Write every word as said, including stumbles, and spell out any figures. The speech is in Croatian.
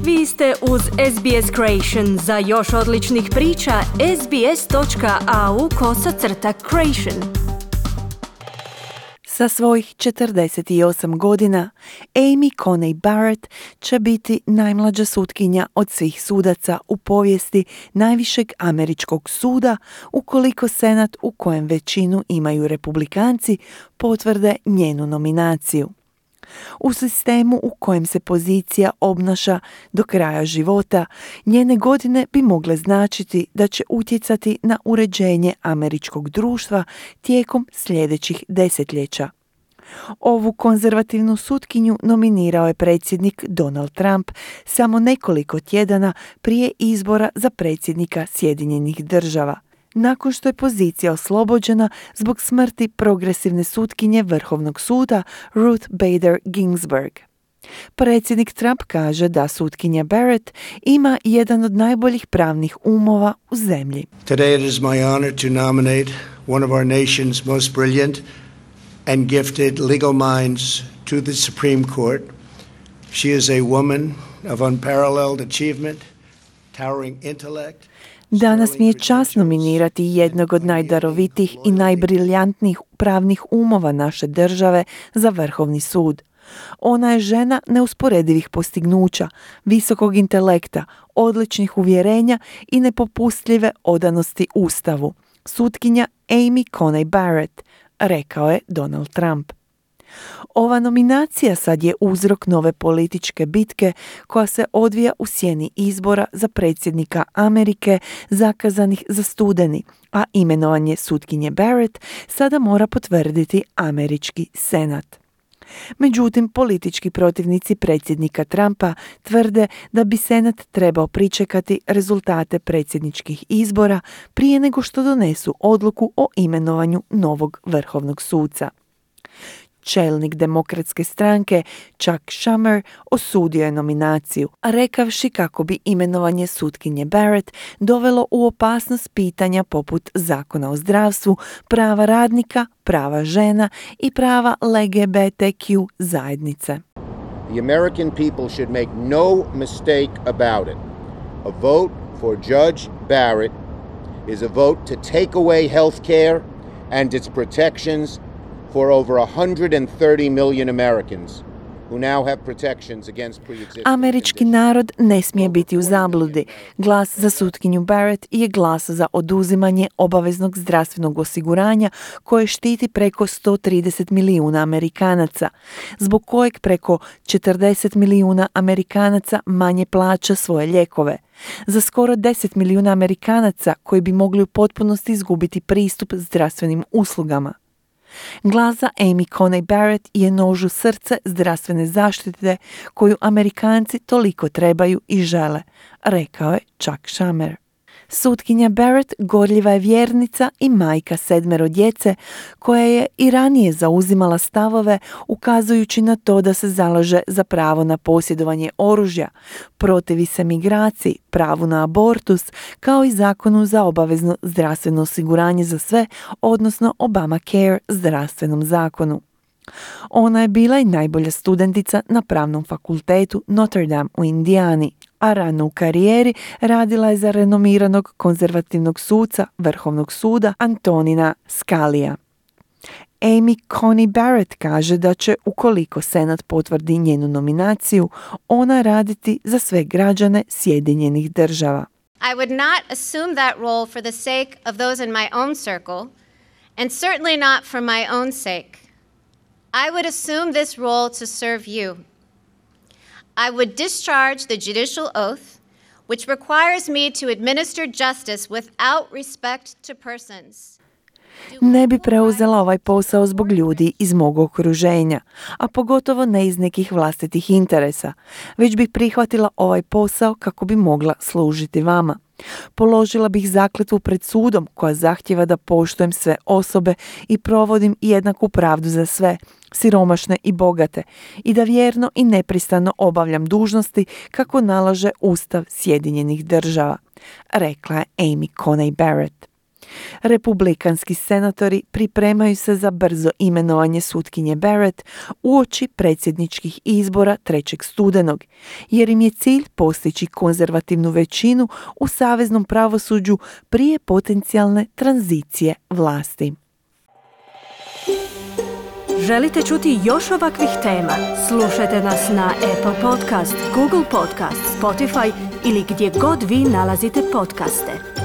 Vi ste uz S B S Creation. Za još odličnih priča, sbs.au kosacrta creation. Sa svojih četrdeset osam godina, Amy Coney Barrett će biti najmlađa sutkinja od svih sudaca u povijesti najvišeg američkog suda ukoliko Senat, u kojem većinu imaju Republikanci, potvrde njenu nominaciju. U sistemu u kojem se pozicija obnaša do kraja života, njene godine bi mogle značiti da će utjecati na uređenje američkog društva tijekom sljedećih desetljeća. Ovu konzervativnu sutkinju nominirao je predsjednik Donald Trump samo nekoliko tjedana prije izbora za predsjednika Sjedinjenih Država, nakon što je pozicija oslobođena zbog smrti progresivne sutkinje Vrhovnog suda Ruth Bader Ginsburg. Predsjednik Trump kaže da sutkinja Barrett ima jedan od najboljih pravnih umova u zemlji. Today it is my honor to nominate one of our nation's most brilliant and gifted legal minds to the Supreme Court. She is a woman of unparalleled achievement, towering intellect. Danas mi je čast nominirati jednog od najdarovitijih i najbriljantnijih pravnih umova naše države za Vrhovni sud. Ona je žena neusporedivih postignuća, visokog intelekta, odličnih uvjerenja i nepopustljive odanosti Ustavu. Sutkinja Amy Coney Barrett, rekao je Donald Trump. Ova nominacija sad je uzrok nove političke bitke koja se odvija u sjeni izbora za predsjednika Amerike zakazanih za studeni, a imenovanje sutkinje Barrett sada mora potvrditi američki senat. Međutim, politički protivnici predsjednika Trumpa tvrde da bi senat trebao pričekati rezultate predsjedničkih izbora prije nego što donesu odluku o imenovanju novog vrhovnog suca. Čelnik demokratske stranke Chuck Schumer osudio je nominaciju, rekavši kako bi imenovanje sutkinje Barrett dovelo u opasnost pitanja poput zakona o zdravstvu, prava radnika, prava žena i prava L G B T Q zajednice. The American people should make no mistake about it. A vote for Judge Barrett is a vote to take away health care and its protections for over one hundred thirty million Americans who now have protections against pre-existing Američki conditions. narod ne smije biti u zabludi. Glas za sutkinju Barrett je glas za oduzimanje obaveznog zdravstvenog osiguranja koje štiti preko sto trideset milijuna Amerikanaca, zbog kojeg preko četrdeset milijuna Amerikanaca manje plaća svoje lijekove. Za skoro deset milijuna Amerikanaca koji bi mogli u potpunosti izgubiti pristup zdravstvenim uslugama. Glas za Amy Coney Barrett je nož u srce zdravstvene zaštite koju Amerikanci toliko trebaju i žele, rekao je Chuck Schumer. Sutkinja Barrett gorljiva je vjernica i majka sedmero djece koja je i ranije zauzimala stavove ukazujući na to da se zalaže za pravo na posjedovanje oružja, protivi se migraciji, pravu na abortus, kao i zakonu za obavezno zdravstveno osiguranje za sve, odnosno Obamacare zdravstvenom zakonu. Ona je bila i najbolja studentica na pravnom fakultetu Notre Dame u Indijani, a rano u karijeri radila je za renomiranog konzervativnog suca Vrhovnog suda Antonina Scalija. Amy Coney Barrett kaže da će, ukoliko Senat potvrdi njenu nominaciju, ona raditi za sve građane Sjedinjenih Država. I would not assume that role for the sake of those in my own circle, and certainly not for my own sake. I would assume this role to serve you. I would discharge the judicial oath, which requires me to administer justice without respect to persons. Ne bi preuzela ovaj posao zbog ljudi iz mog okruženja, a pogotovo ne iz nekih vlastitih interesa, već bih prihvatila ovaj posao kako bi mogla služiti vama. Položila bih zakletvu pred sudom koja zahtjeva da poštujem sve osobe i provodim jednaku pravdu za sve, siromašne i bogate, i da vjerno i nepristrano obavljam dužnosti kako nalaže Ustav Sjedinjenih Država, rekla je Amy Coney Barrett. Republikanski senatori pripremaju se za brzo imenovanje sutkinje Barrett uoči predsjedničkih izbora trećeg studenog, jer im je cilj postići konzervativnu većinu u saveznom pravosuđu prije potencijalne tranzicije vlasti. Želite čuti još ovakvih tema? Slušajte nas na Apple Podcast, Google Podcast, Spotify ili gdje god vi nalazite podcaste.